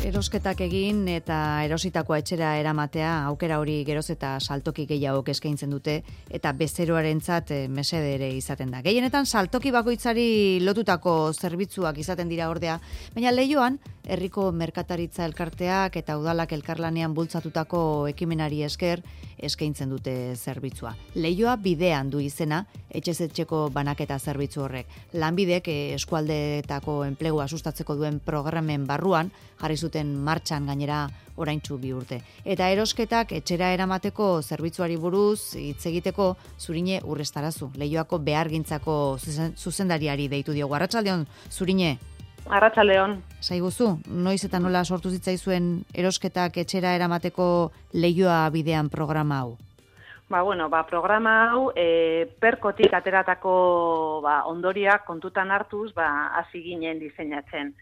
Erosketak egin eta erositakoa etxera eramatea aukera hori geroz eta saltoki gehiago eskaintzen dute eta bezeroarentzat mesede ere izaten da. Gehienetan saltoki bakoitzari lotutako zerbitzuak izaten dira ordea, baina Leioan herriko merkataritza elkarteak eta udalak elkarlanean bultzatutako ekimenari esker eskaintzen dute zerbitzua. Leioa bidean du izena etxez etxeko banaketa zerbitzu horrek. Lanbidek eskualdeetako enplegua sustatzeko duen programen barruan jarri zuten martxan gainera oraintsu 2 urte. Eta erosketak etxera eramateko zerbitzuari buruz hitz egiteko Zurine Urrestarazu, Leioako behargintzako zuzendariari deitu diogu. Arratsaldeon, Zurine. Arratsaldeon. Saiguzu, noiz eta nola sortu zitzaizuen erosketak etxera eramateko Leioa bidean programa hau? Programa hau perkotik ateratako ondoriak kontutan hartuz hasi ginen diseinatzen.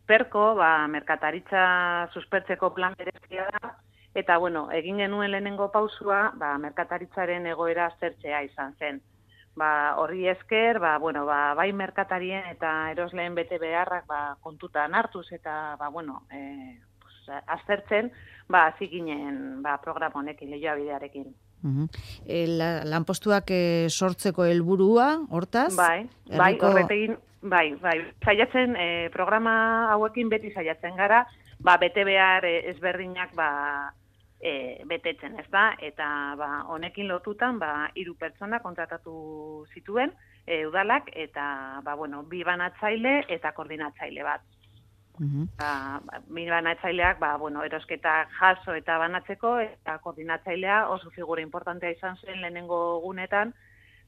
Perko, merkataritza suspertzeko plan berezia da, eta egin genuen lehenengo pausua, merkataritzaren egoera aztertzea izan zen. Horri esker, bai merkatarien eta erosleen bete beharrak kontutan hartuz eta aztertzen, hasi ginen programa honekin, Leioa bidearekin. Lanpostuak sortzeko helburua, hortaz? Bai, horretegin, saiatzen, programa hauekin beti saiatzen gara, bete behar ezberdinak betetzen, ez da? Eta honekin lotutan, 3 pertsona kontratatu zituen, udalak, eta 2 banatzaile eta koordinatzaile bat. Banatzaileak, erosketak jaso eta banatzeko, eta koordinatzailea oso figura importantea izan zen lehenengo gunetan,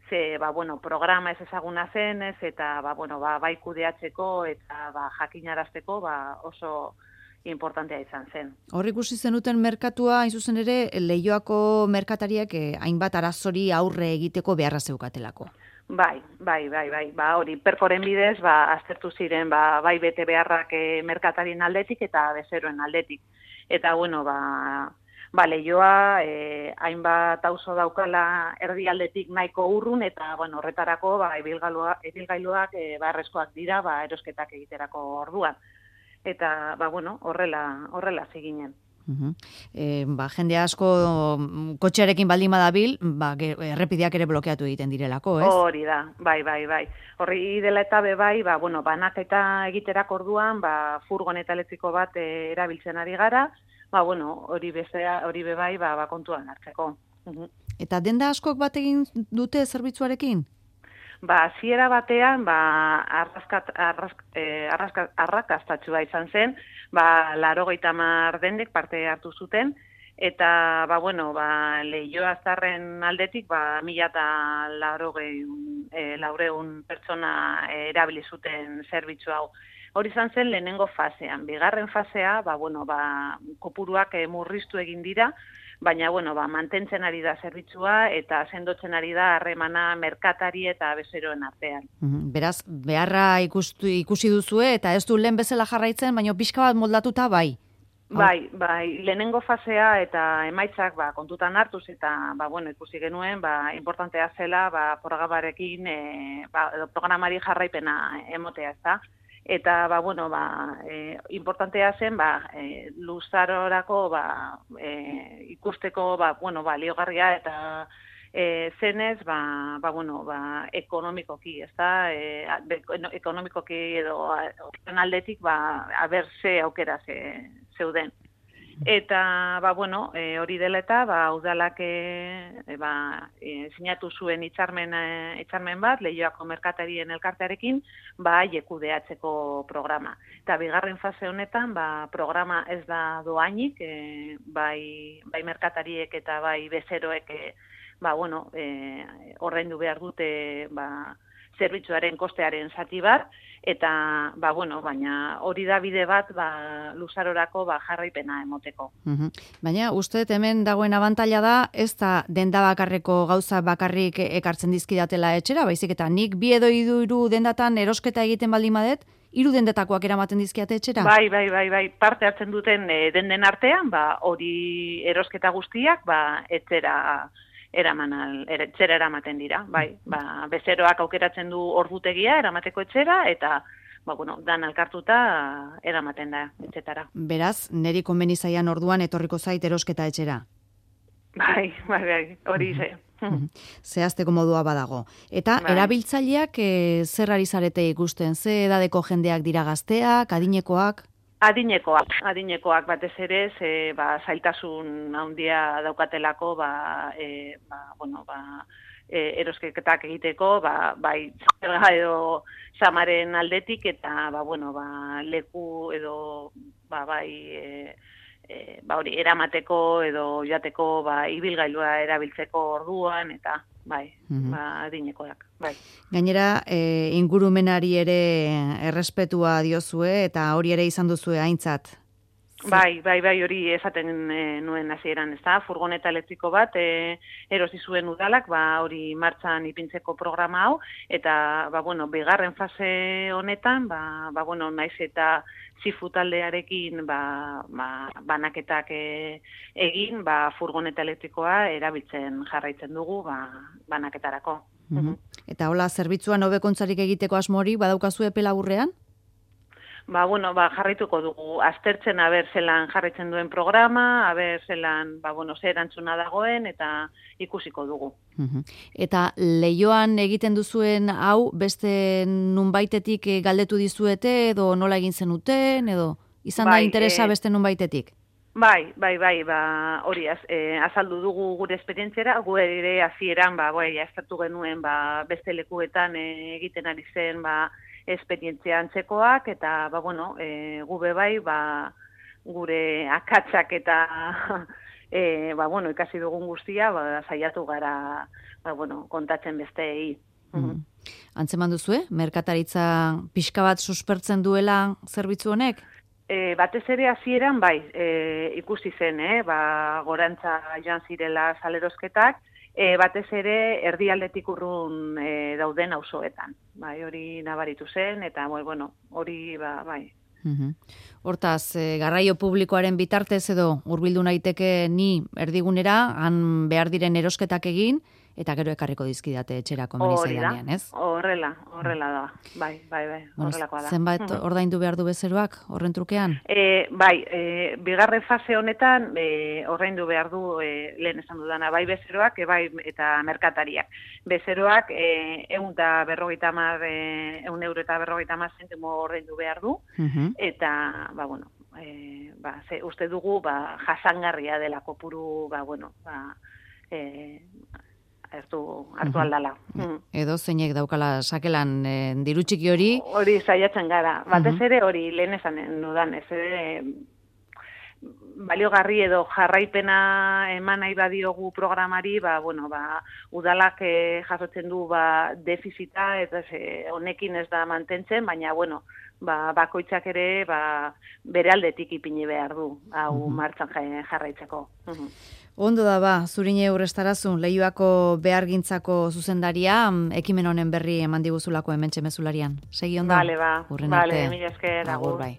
ze, programa ez ezaguna zenez, eta, bai kudeatzeko eta jakinarazteko, oso importantea izan zen. Hor ikusi zenuten merkatua, hain zuzen ere, Leioako merkatariak hainbat arazori aurre egiteko beharra zeukatelako. Bai. Hori, perkoren bidez, aztertu ziren, bai bete beharrak merkatarien aldetik eta bezeroen aldetik. Eta, Leioa, hainbat auzo daukala erdialdetik nahiko urrun, eta, horretarako, ibilgailuak beharrezkoak dira, erosketak egiterako orduan. Eta, horrela ziginen. Jende asko kotxearekin baldin badabil, errepideak ere blokeatu egiten direlako, ez? Hori da, bai. Horri dela eta banaketa egiterako orduan, furgoneta elektriko bat erabiltzen ari gara, hori bai, kontuan hartzeko. Eta denda askok bat egin dute zerbitzuarekin? Hasiera batean, arrakastatxua izan zen, 80 dendek parte hartu zuten, eta, Leioa zarren aldetik, 1.400 pertsona erabili zuten zerbitzu hau. Hori izan zen lehenengo fasean. Bigarren fasea, kopuruak murriztu egin dira, baina, mantentzen ari da zerbitzua eta sendotzen ari da harremana merkatari eta bezeroen artean. Beraz, beharra ikusi duzue eta ez du lehen bezala jarraitzen, baina pixka bat moldatuta bai? Bai, lehenengo fasea eta emaitzak kontutan hartuz eta ikusi genuen, importantea zela programarekin, programari jarraipena emotea, ez da? Eta, importantea zen, luzarorako, ikusteko, baliogarria eta zenez, ekonomikoki, ez da? Ekonomikoki edo aldetik, aber ze aukera zeuden. Eta, hori dela eta, udalak sinatu zuen hitzarmen bat, Leioako merkatarien elkartearekin, kudeatzeko programa. Eta bigarren fase honetan, programa ez da doainik, bai merkatariek eta bai bezeroek, ordaindu behar dute, zerbitzuaren kostearen zati bat, eta, baina hori da bide bat, luzarorako jarraipena emoteko. Baina, uste hemen dagoen abantaila da, ez da denda bakarreko gauza bakarrik ekartzen dizkidatela etxera, baizik eta nik 2 edo 3 dendatan erosketa egiten baldin badet, 3 dendetakoak eramaten dizkiate etxera? Bai, parte hartzen duten denden artean, hori erosketa guztiak, etxera eramaten dira, bai. Bezeroak aukeratzen du ordutegia eramateko etxera, eta bueno, dan elkartuta eramaten da etxetara. Beraz, neri konbeni zaian orduan etorriko zait erosketa etxera. Bai, hori ze. Zehazteko modua badago. Eta erabiltzaileak zer ari zarete ikusten? Ze edadeko jendeak dira, gazteak, adinekoak? Adinekoak batez ere, zailtasun handia daukatelako, erosketak egiteko, bai, zerga edo samaren aldetik, eta, leku edo, hori, eramateko edo jateko, ibilgailua erabiltzeko orduan, eta, adinekoak, bai. Gainera, ingurumenari ere errespetua diozue, eta hori ere izan duzue aintzat. Bai, hori esaten nuen hasieran, ezta? Furgoneta elektriko bat erosi zuen udalak, hori martxan ipintzeko programa hau, eta, bigarren fase honetan, naiz eta zifu taldearekin banaketak egin, furgoneta elektrikoa erabiltzen jarraitzen dugu banaketarako. Eta hola, zerbitzuan hobekuntzarik egiteko asmori badaukazu epe laburrean? Jarraituko dugu, aztertzen zelan jarraitzen duen programa, zelan, ze erantzuna dagoen, eta ikusiko dugu. Eta lehioan egiten duzuen hau, beste nunbaitetik galdetu dizuete, edo nola egin zenuten, edo izan da interesa beste nunbaitetik? Bai, hori azaldu dugu gure esperientziara, gu ere hasieran aztertu genuen beste lekuetan egiten ari zen esperientzia antzekoak, eta, gube bai, gure akatsak eta, ikasi dugun guztia, saiatu gara, kontatzen besteei. Antzeman duzue, merkataritza pixka bat suspertzen duela zerbitzu honek? Batez ere hasieran ikusi zen, gorantza joan zirela salerosketak, batez ere erdialdetik urrun dauden auzoetan. Hori nabaritu zen, eta hori bai. Hortaz, garraio publikoaren bitartez edo hurbildu naiteke ni erdigunera, han behar diren erosketak egin, eta gero ekarriko dizkidate etxera komeni zaidanean, ez? Horrela da, bai, horrelakoa da. Zenbait ordaindu behar du bezeroak, horren trukean? Bigarren fase honetan, ordaindu behar du, lehen esan dudana, bai bezeroak, bai eta merkatariak. Bezeroak, €150 ordaindu behar du, eta, uste dugu, jasangarria dela kopuru, hartu aldala. Edo zeinek daukala sakelan diru txiki hori? Hori saiatzen gara. Batez ere hori lehen esan dudan, baliogarri edo jarraipena eman nahi badiogu programari, udalak jasotzen du defizita, eta honekin ez da mantentzen, baina, bakoitzak ere bere aldetik ipini behar du, hau martxan jarraitzeko. Ondo da Zurine Urrestarazun, Leioako behargintzako zuzendaria, ekimen honen berri eman diguzulako hementxe mezularian. Segi ondo? Bale, mila esker. Agur, bai.